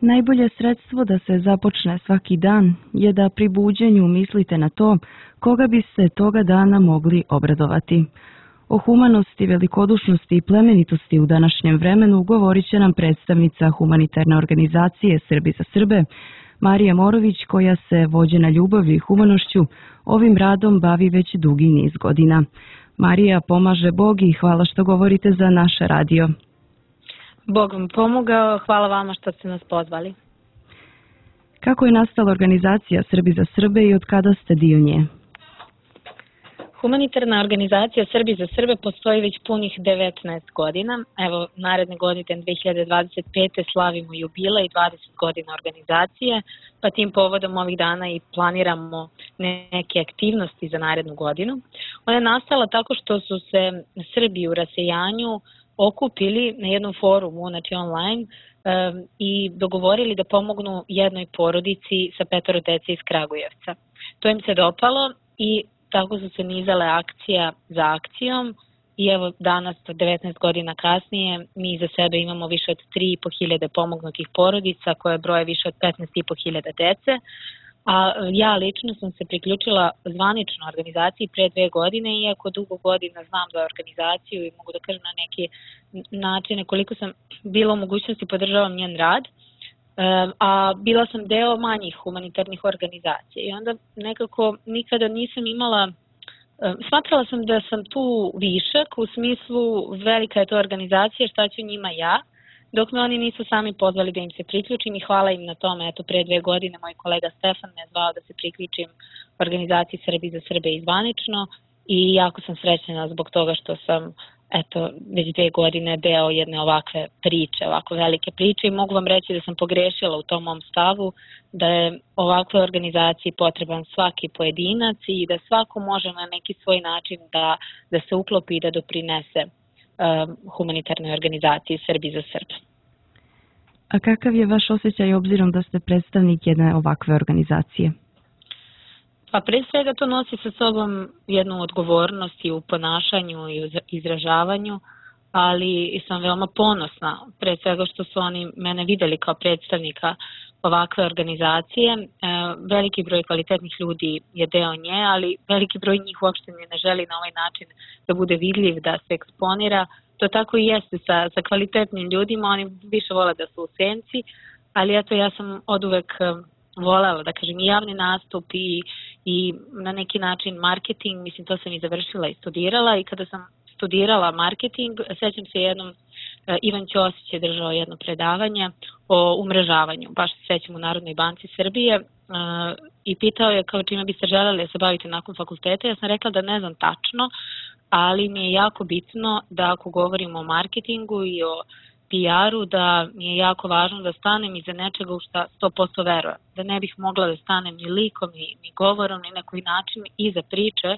Najbolje sredstvo da se započne svaki dan je da pri buđenju mislite na to koga biste toga dana mogli obradovati. O humanosti, velikodušnosti i plemenitosti u današnjem vremenu govorit će nam predstavnica humanitarne organizacije Srbi za Srbe, Marija Morović, koja se, vođena ljubavlju i humanošću, ovim radom bavi već dugi niz godina. Marija, pomaže Bog i hvala što govorite za naš radio. Bog vam pomogao, hvala vama što ste nas pozvali. Kako je nastala organizacija Srbi za Srbe i od kada ste dio nje? Humanitarna organizacija Srbi za Srbe postoji već punih 19 godina. Evo, naredne godine 2025. slavimo jubilej 20 godina organizacije, pa tim povodom ovih dana i planiramo neke aktivnosti za narednu godinu. Ona je nastala tako što su se Srbi u rasejanju okupili na jednom forumu, znači online, i dogovorili da pomognu jednoj porodici sa 5 dece iz Kragujevca. To im se dopalo i tako su se nizale akcija za akcijom i evo danas, 19 godina kasnije, mi za sebe imamo više od 3.500 pomognutih porodica koje broje više od 15.500 dece. A ja lično sam se priključila zvanično organizaciji pre 2 godine, iako dugo godina znam da organizaciju i mogu da kažem na neki način koliko sam bila u mogućnosti podržavam njen rad, a bila sam deo manjih humanitarnih organizacija i onda nekako nikada nisam imala, smatrala sam da sam tu višak u smislu velika je to organizacija, šta ću njima ja, dok me oni nisu sami pozvali da im se priključim i hvala im na tome. Eto, pre 2 godine moj kolega Stefan me zvao da se priključim organizaciji Srbi za Srbe i zvanično i jako sam srećena zbog toga što sam već 2 godine deo jedne ovakve priče, ovako velike priče i mogu vam reći da sam pogrešila u tom mom stavu, da je ovakvoj organizaciji potreban svaki pojedinac i da svako može na neki svoj način da se uklopi i da doprinese humanitarnoj organizaciji Srbi za Srbe. A kakav je vaš osjećaj obzirom da ste predstavnik jedne ovakve organizacije? Pa pre svega to nosi sa sobom jednu odgovornost i u ponašanju i u izražavanju, ali sam veoma ponosna pre svega što su oni mene videli kao predstavnika ovakve organizacije. Veliki broj kvalitetnih ljudi je deo nje, ali veliki broj njih uopšte ne želi na ovaj način da bude vidljiv, da se eksponira. To tako i jeste sa kvalitetnim ljudima, oni više vole da su u senci, ali eto ja sam oduvek volela, da kažem, i javni nastup i na neki način marketing, mislim to sam i završila i studirala i kada sam studirala marketing, sećam se jednom, Ivan Ćosić je držao jedno predavanje o umrežavanju, baš se sećam u Narodnoj banci Srbije i pitao je kao čime biste želeli da se bavite nakon fakulteta. Ja sam rekla da ne znam tačno, ali mi je jako bitno da ako govorimo o marketingu i o PR-u, da mi je jako važno da stanem iza nečega u šta 100% verujem. Da ne bih mogla da stanem ni likom, ni govorom, ni na koji način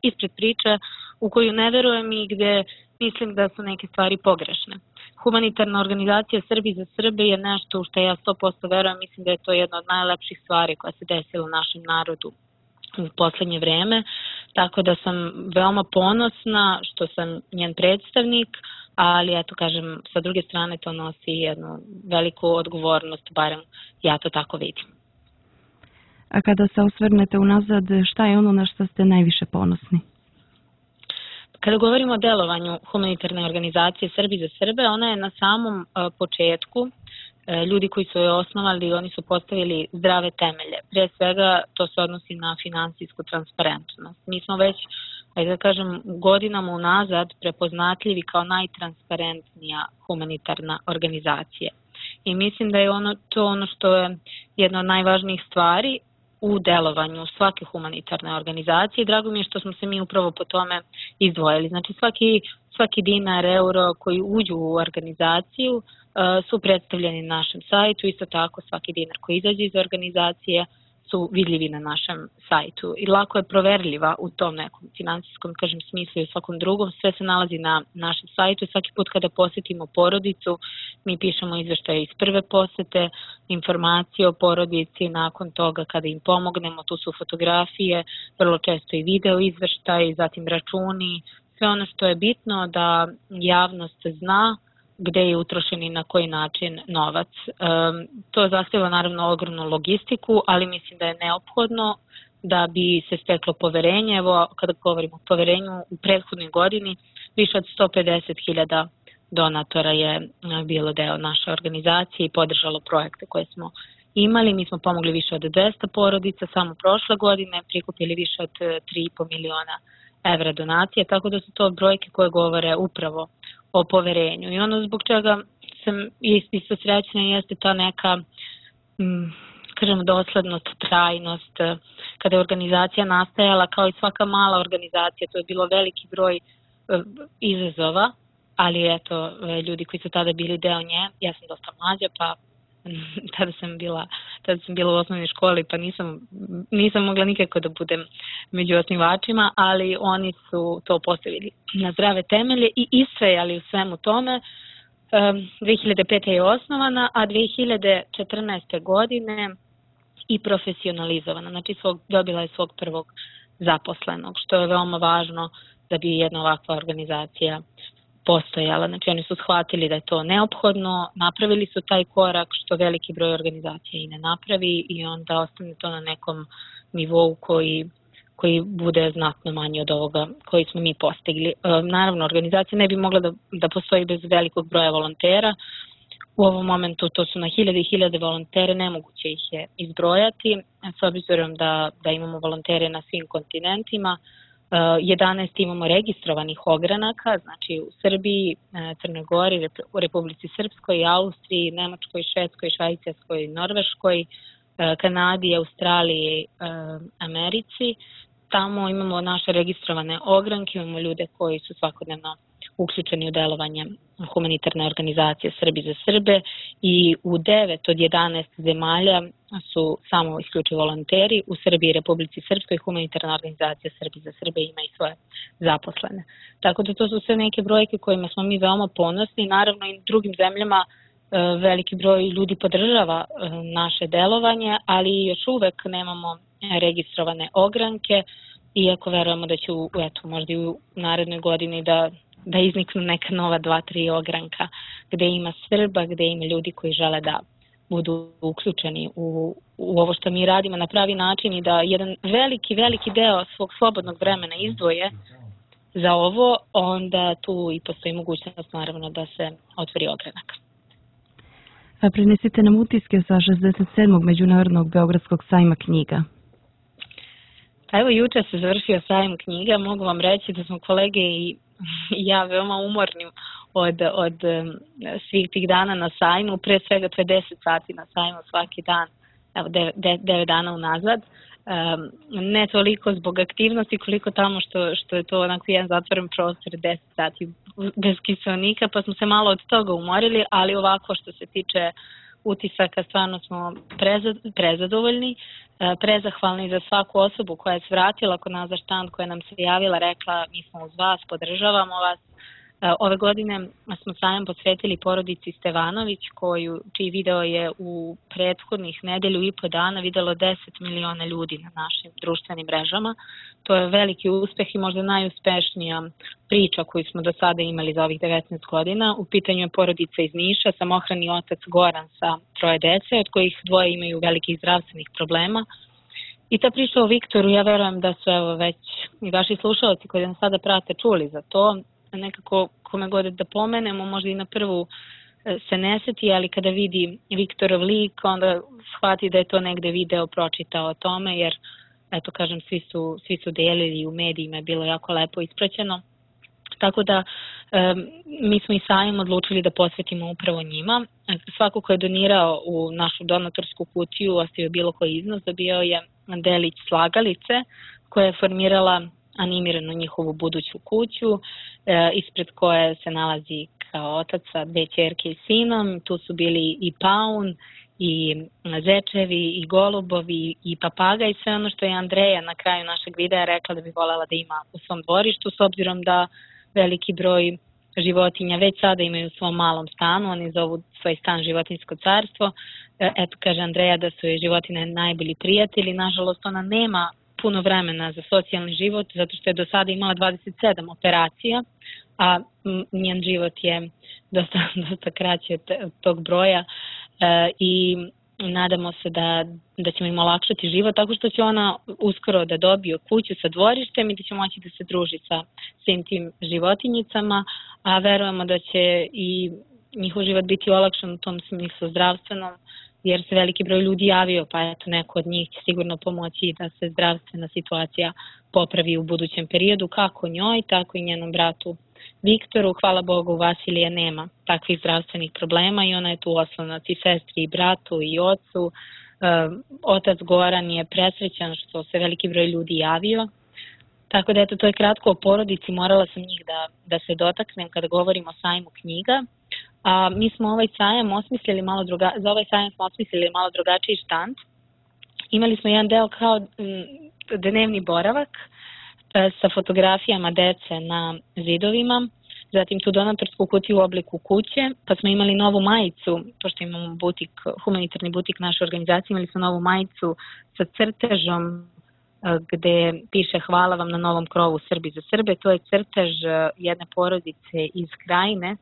ispred priče u koju ne verujem i gde mislim da su neke stvari pogrešne. Humanitarna organizacija Srbi za Srbe je nešto u što ja 100% verujem, mislim da je to jedna od najlepših stvari koja se desila u našem narodu u poslednje vreme, tako da sam veoma ponosna što sam njen predstavnik, ali eto kažem, sa druge strane to nosi jednu veliku odgovornost, barem ja to tako vidim. A kada se osvrnete unazad, šta je ono na što ste najviše ponosni? Kada govorimo o delovanju humanitarne organizacije Srbi za Srbe, ona je na samom početku, ljudi koji su je osnovali, oni su postavili zdrave temelje. Pre svega to se odnosi na finansijsku transparentnost. Mi smo već, da kažem, godinama unazad prepoznatljivi kao najtransparentnija humanitarna organizacija. I mislim da je to ono što je jedna od najvažnijih stvari u delovanju svake humanitarne organizacije. Drago mi je što smo se mi upravo po tome izdvojili. Znači svaki dinar, euro koji uđu u organizaciju su predstavljeni na našem sajtu, isto tako svaki dinar koji izađe iz organizacije su vidljivi na našem sajtu i lako je proverljiva u tom nekom finansijskom, kažem, smislu i u svakom drugom. Sve se nalazi na našem sajtu i svaki put kada posetimo porodicu, mi pišemo izveštaje iz prve posete, informacije o porodici, nakon toga kada im pomognemo, tu su fotografije, vrlo često i video izveštaje, zatim računi, sve ono što je bitno da javnost zna gde je utrošen i na koji način novac. To zahteva naravno ogromnu logistiku, ali mislim da je neophodno da bi se steklo poverenje. Evo, kada govorimo o poverenju, u prethodnoj godini više od 150.000 donatora je bilo deo naše organizacije i podržalo projekte koje smo imali. Mi smo pomogli više od 200 porodica, samo prošle godine prikupili više od 3,5 miliona evra donacije, tako da su to brojke koje govore upravo o poverenju. I ono zbog čega sam isto srećna jeste ta neka, kažem, doslednost, trajnost. Kada je organizacija nastajala, kao i svaka mala organizacija, to je bilo veliki broj izazova, ali eto, ljudi koji su tada bili deo nje, ja sam dosta mlađa, pa tada sam bila u osnovnoj školi, pa nisam mogla nikako da budem među osnivačima, ali oni su to postavili na zdrave temelje i istrajali u svemu tome. 2005. je osnovana, a 2014. godine i profesionalizovana. Znači dobila je svog prvog zaposlenog, što je veoma važno da bi jedna ovakva organizacija postojala. Znači oni su shvatili da je to neophodno, napravili su taj korak što veliki broj organizacija i ne napravi i onda ostane to na nekom nivou koji bude znatno manji od ovoga koji smo mi postigli. Naravno, organizacija ne bi mogla da postoji bez velikog broja volontera. U ovom momentu to su na hiljade i hiljade volontere, nemoguće ih je izbrojati, s obzirom da imamo volontere na svim kontinentima. 11 imamo registrovanih ogranaka, znači u Srbiji, Crnoj Gori, u Republici Srpskoj, Austriji, Nemačkoj, Švedskoj, Švajcarskoj, Norveškoj, Kanadi, Australiji, Americi. Tamo imamo naše registrovane ogranke, imamo ljude koji su svakodnevno uključeni u delovanje humanitarne organizacije Srbi za Srbe i u 9 od 11 zemalja su samo isključivo volonteri. U Srbiji i Republici Srpskoj humanitarna organizacija Srbi za Srbe ima i svoje zaposlene. Tako da to su sve neke brojke kojima smo mi veoma ponosni. Naravno i drugim zemljama veliki broj ljudi podržava naše delovanje, ali još uvek nemamo registrovane ogranke, iako verujemo da će možda i u narednoj godini da izniknu neka nova 2-3 ogranka gde ima Srba, gde ima ljudi koji žele da budu uključeni u ovo što mi radimo na pravi način i da jedan veliki deo svog slobodnog vremena izdvoje za ovo, onda tu i postoji mogućnost naravno da se otvori ogranak. A prenesite nam utiske sa 67. Međunarodnog Beogradskog sajma knjiga. Pa evo, juče se završio sajam knjiga, mogu vam reći da smo kolege i ja veoma umorni od svih tih dana na sajmu, pre svega to je 10 sati na sajmu svaki dan, evo 9 dana unazad, ne toliko zbog aktivnosti koliko tamo što je to onako jedan zatvoren prostor 10 sati bez kiseonika, pa smo se malo od toga umorili, ali ovako što se tiče utisaka stvarno smo prezadovoljni, prezahvalni za svaku osobu koja je svratila kod nas za štand, koja nam se javila, rekla mi smo uz vas, podržavamo vas. Ove godine smo sajam posvetili porodici Stevanović, čiji video je u prethodnih nedelju i po dana videlo 10 miliona ljudi na našim društvenim mrežama. To je veliki uspeh i možda najuspešnija priča koju smo do sada imali za ovih 19 godina. U pitanju je porodica iz Niša, samohrani otac Goran sa 3 dece, od kojih 2 imaju velikih zdravstvenih problema. I ta priča o Viktoru, ja verujem da su evo već i vaši slušalci koji nas sada prate čuli za to. Nekako kome god da pomenemo, možda i na prvu se ne seti, ali kada vidi Viktorov lik, onda shvati da je to negde video pročitao o tome, jer eto kažem, svi su delili u medijima, je bilo jako lepo ispraćeno. Tako da mi smo i sajam odlučili da posvetimo upravo njima. Svako ko je donirao u našu donatorsku kutiju, ostavio bilo koji iznos, dobio je delić slagalice koja je formirala animiranu njihovu buduću kuću, ispred koje se nalazi kao otac sa 2 ćerke i sinom. Tu su bili i paun, i zečevi, i golubovi, i papaga i sve ono što je Andreja na kraju našeg videa rekla da bi voljela da ima u svom dvorištu, s obzirom da veliki broj životinja već sada imaju u svom malom stanu, oni zovu svoj stan životinjsko carstvo. Eto, kaže Andreja da su joj životine najbolji prijatelji, nažalost ona nema puno vremena za socijalni život, zato što je do sada imala 27 operacija, a njen život je dosta kraći od tog broja i nadamo se da ćemo im olakšati život tako što će ona uskoro da dobije kuću sa dvorištem i da će moći da se druži sa svim tim životinjicama, a verujemo da će i njihov život biti olakšan u tom smislu zdravstvenom, jer se veliki broj ljudi javio, pa eto neko od njih će sigurno pomoći da se zdravstvena situacija popravi u budućem periodu, kako njoj, tako i njenom bratu Viktoru. Hvala Bogu, Vasilija nema takvih zdravstvenih problema i ona je tu oslonac i sestri i bratu i ocu. Otac Goran je presrećan što se veliki broj ljudi javio. Tako da eto, to je kratko o porodici, morala sam njih da se dotaknem kada govorimo o sajmu knjiga. A mi smo ovaj sajam osmislili za ovaj sajam smo osmislili malo drugačiji štand. Imali smo jedan deo kao dnevni boravak sa fotografijama dece na zidovima, zatim tu donatorsku kutiju u obliku kuće, pa smo imali novu majicu, pošto imamo humanitarni butik naše organizacije, imali smo novu majicu sa crtežom gde piše hvala vam na novom krovu Srbi za Srbe. To je crtež jedne porodice iz Krajine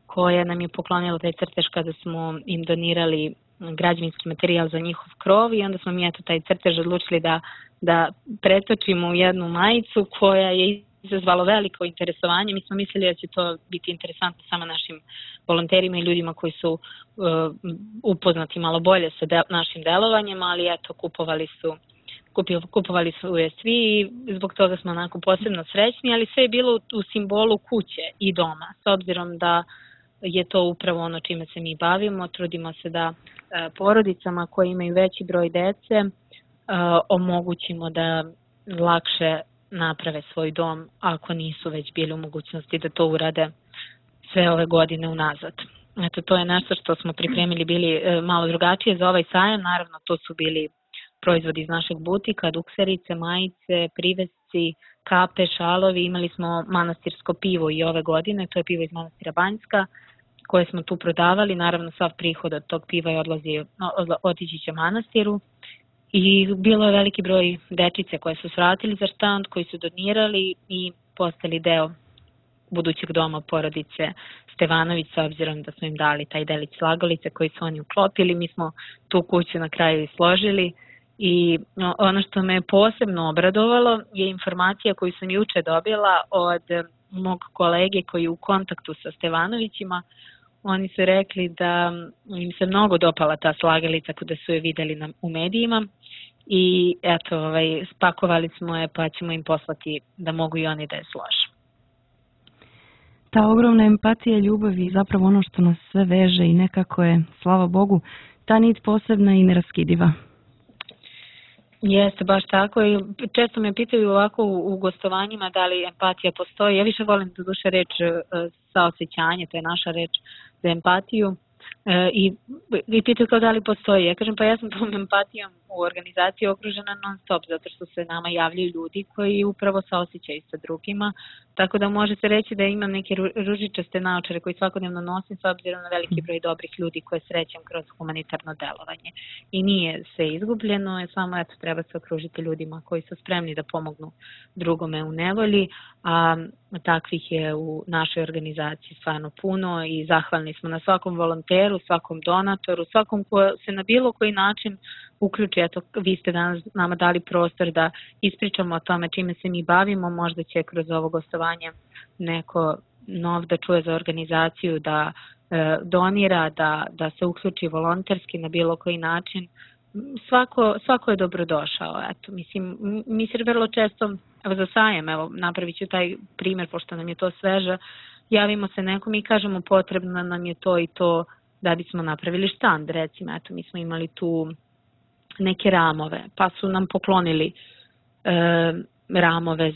koja nam je poklonila taj crtež kada smo im donirali građevinski materijal za njihov krov i onda smo mi taj crtež odlučili da pretočimo u jednu majicu koja je izazvalo veliko interesovanje. Mi smo mislili da će to biti interesantno samo našim volonterima i ljudima koji su upoznati malo bolje sa našim delovanjem, ali eto, kupovali su je svi i zbog toga smo onako posebno srećni, ali sve je bilo u simbolu kuće i doma, s obzirom da je to upravo ono čime se mi bavimo. Trudimo se da porodicama koje imaju veći broj dece omogućimo da lakše naprave svoj dom ako nisu već bili u mogućnosti da to urade sve ove godine unazad. Eto, to je nešto što smo pripremili bili malo drugačije za ovaj sajam. Naravno, to su bili proizvodi iz našeg butika, dukserice, majice, privesci, kape, šalovi. Imali smo manastirsko pivo i ove godine, to je pivo iz manastira Banjska, koje smo tu prodavali. Naravno, sav prihod od tog piva je otići će manastiru. I bilo je veliki broj dečice koje su svratili za štand, koji su donirali i postali deo budućeg doma porodice Stevanović, s obzirom da smo im dali taj delić slagalice koji su oni uklopili. Mi smo tu kuću na kraju složili i ono što me posebno obradovalo je informacija koju sam juče dobila od mog kolege koji je u kontaktu sa Stevanovićima. Oni su rekli da im se mnogo dopala ta slagalica kada su je videli u medijima i eto, spakovali smo je pa ćemo im poslati da mogu i oni da je slože. Ta ogromna empatija i ljubav je zapravo ono što nas sve veže i nekako je, slava Bogu, ta nit posebna i neraskidiva. Jeste, baš tako i često me pitaju ovako u gostovanjima da li empatija postoji. Ja više volim do duše reč saosećanje, to je naša reč za empatiju i pitaju kao da li postoji. Ja kažem pa ja sam tom empatijom u organizaciji okružena non stop, zato što se nama javljaju ljudi koji upravo saosećaju sa drugima, tako da može se reći da imam neke ružičaste naočare koji svakodnevno nosim s obzirom na veliki broj dobrih ljudi koje srećem kroz humanitarno delovanje. I nije sve izgubljeno, samo eto treba se okružiti ljudima koji su spremni da pomognu drugome u nevolji, a takvih je u našoj organizaciji stvarno puno i zahvalni smo na svakom volonteru, svakom donatoru, svakom ko se na bilo koji način uključi. Eto, vi ste danas nama dali prostor da ispričamo o tome čime se mi bavimo, možda će kroz ovo gostovanje neko nov da čuje za organizaciju, da donira, da se uključi volonterski na bilo koji način. Svako je dobrodošao. Eto, mislim, mi se vrlo često, za sajam, napravit ću taj primjer, pošto nam je to sveže, javimo se nekom i kažemo potrebno nam je to i to da bismo napravili štand, recimo, eto, mi smo imali tu neke ramove, pa su nam poklonili ramove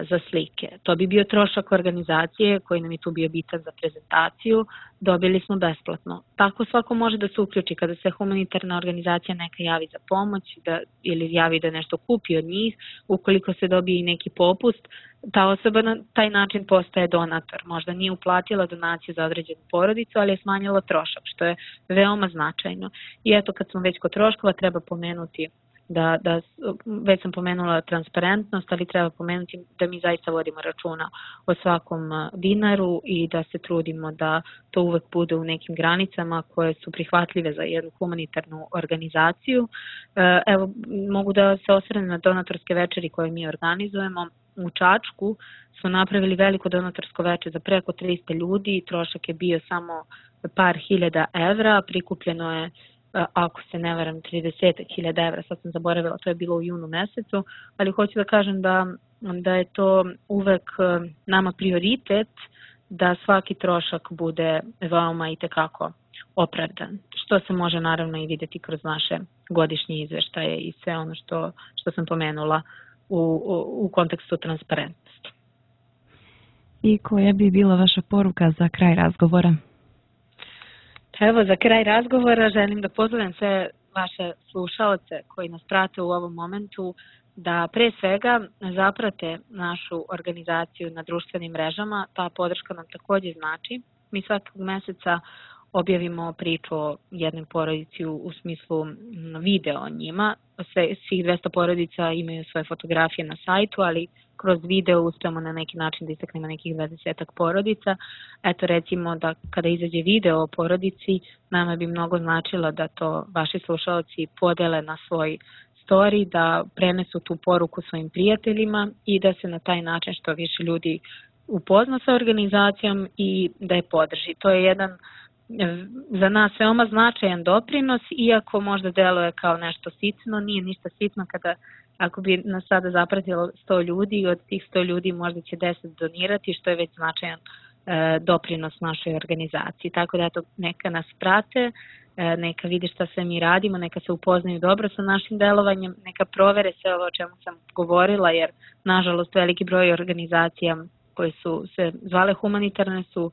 za slike. To bi bio trošak organizacije koji nam je tu bio bitan za prezentaciju, dobili smo besplatno. Tako svako može da se uključi kada se humanitarna organizacija neka javi za pomoć ili javi da nešto kupi od njih, ukoliko se dobije i neki popust, ta osoba na taj način postaje donator. Možda nije uplatila donaciju za određenu porodicu, ali je smanjila trošak, što je veoma značajno. I eto, kad smo već kod troškova, treba pomenuti već sam pomenula transparentnost, ali treba pomenuti da mi zaista vodimo računa o svakom dinaru i da se trudimo da to uvek bude u nekim granicama koje su prihvatljive za jednu humanitarnu organizaciju. Evo, mogu da se osvrnem na donatorske večeri koje mi organizujemo. U Čačku smo napravili veliko donatorsko večer za preko 300 ljudi, trošak je bio samo par hiljada evra, prikupljeno je, ako se ne varam, 30.000 evra, sad sam zaboravila, to je bilo u junu mesecu, ali hoću da kažem da je to uvek nama prioritet da svaki trošak bude veoma i tekako opravdan, što se može naravno i videti kroz naše godišnje izveštaje i sve ono što sam pomenula u kontekstu transparentnosti. I koja bi bila vaša poruka za kraj razgovora? Evo, za kraj razgovora želim da pozovem sve vaše slušaoce koji nas prate u ovom momentu da pre svega zaprate našu organizaciju na društvenim mrežama. Ta podrška nam takođe znači. Mi svakog meseca objavimo priču o jednoj porodici u smislu video o njima. Svih 200 porodica imaju svoje fotografije na sajtu, ali kroz video uspemo na neki način da istaknemo nekih 20 porodica. Eto, recimo da kada izađe video o porodici, nama bi mnogo značilo da to vaši slušalci podele na svoj story, da prenesu tu poruku svojim prijateljima i da se na taj način što više ljudi upozna sa organizacijom i da je podrži. To je jedan za nas veoma značajan doprinos, iako možda deluje kao nešto sitno, nije ništa sitno ako bi nas sada zapratilo 100 ljudi, od tih 100 ljudi možda će 10 donirati, što je već značajan doprinos našoj organizaciji. Tako da eto, neka nas prate, neka vidi šta sve mi radimo, neka se upoznaju dobro sa našim delovanjem, neka provere sve ovo o čemu sam govorila, jer nažalost veliki broj organizacija koje su se zvale humanitarne su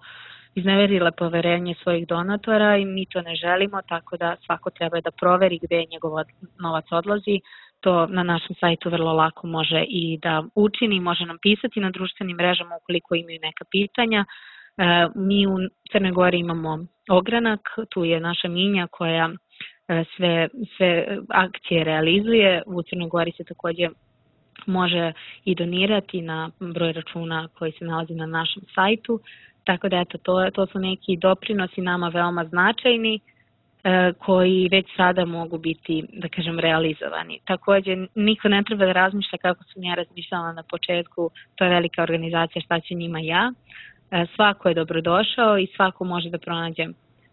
izneverile poverenje svojih donatora i mi to ne želimo, tako da svako treba da proveri gde njegov novac odlazi. To na našem sajtu vrlo lako može i da učini, može nam pisati na društvenim mrežama ukoliko imaju neka pitanja. Mi u Crnoj Gori imamo ogranak, tu je naša Minja koja sve akcije realizuje. U Crnoj Gori se takođe može i donirati na broj računa koji se nalazi na našem sajtu. Tako da eto, to su neki doprinosi nama veoma značajni koji već sada mogu biti, da kažem, realizovani. Takođe, niko ne treba da razmišlja kako sam ja razmišljala na početku, to je velika organizacija, šta će njima ja. Svako je dobrodošao i svako može da pronađe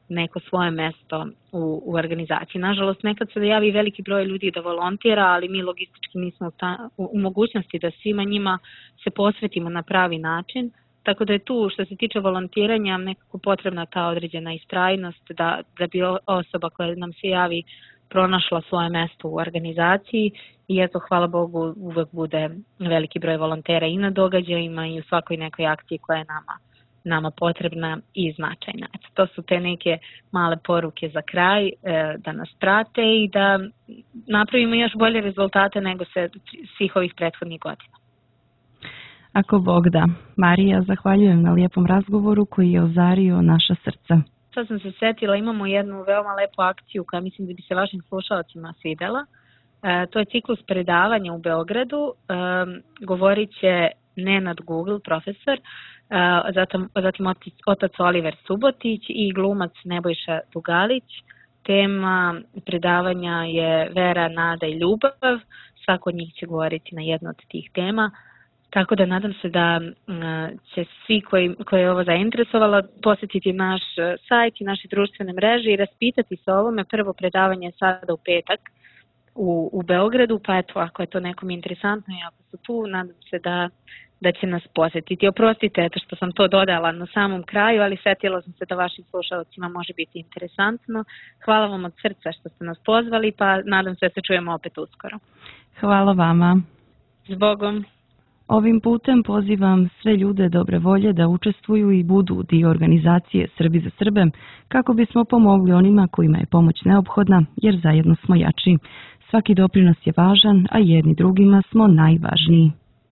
neko svoje mesto u organizaciji. Nažalost, nekad se javi veliki broj ljudi da volontira, ali mi logistički nismo u mogućnosti da svima njima se posvetimo na pravi način. Tako da je tu, što se tiče volontiranja, nekako potrebna ta određena istrajnost da bi osoba koja nam se javi pronašla svoje mesto u organizaciji i eto, hvala Bogu, uvek bude veliki broj volontera i na događajima i u svakoj nekoj akciji koja je nama potrebna i značajna. Eto, to su te neke male poruke za kraj, da nas prate i da napravimo još bolje rezultate nego svih ovih prethodnih godina. Ako Bog da. Marija, zahvaljujem na lijepom razgovoru koji je ozario naša srca. Sad sam se setila, imamo jednu veoma lepu akciju koja mislim da bi se vašim slušalcima svidela. To je ciklus predavanja u Beogradu. Govorit će Nenad Google, profesor, zatim otac Oliver Subotić i glumac Nebojša Dugalić. Tema predavanja je vera, nada i ljubav. Svako od njih će govoriti na jednu od tih tema. Tako da nadam se da će svi koji je ovo zainteresovalo posjetiti naš sajt i naše društvene mreže i raspitati se o ovome. Prvo predavanje je sada u petak u Beogradu, pa eto, ako je to nekom interesantno i ako su tu, nadam se da će nas posjetiti. Oprostite eto što sam to dodala na samom kraju, ali setila sam se da vašim slušalcima može biti interesantno. Hvala vam od srca što ste nas pozvali, pa nadam se da se čujemo opet uskoro. Hvala vama. Zbogom. Ovim putem pozivam sve ljude dobre volje da učestvuju i budu dio organizacije Srbi za Srbe kako bismo pomogli onima kojima je pomoć neophodna, jer zajedno smo jači. Svaki doprinos je važan, a jedni drugima smo najvažniji.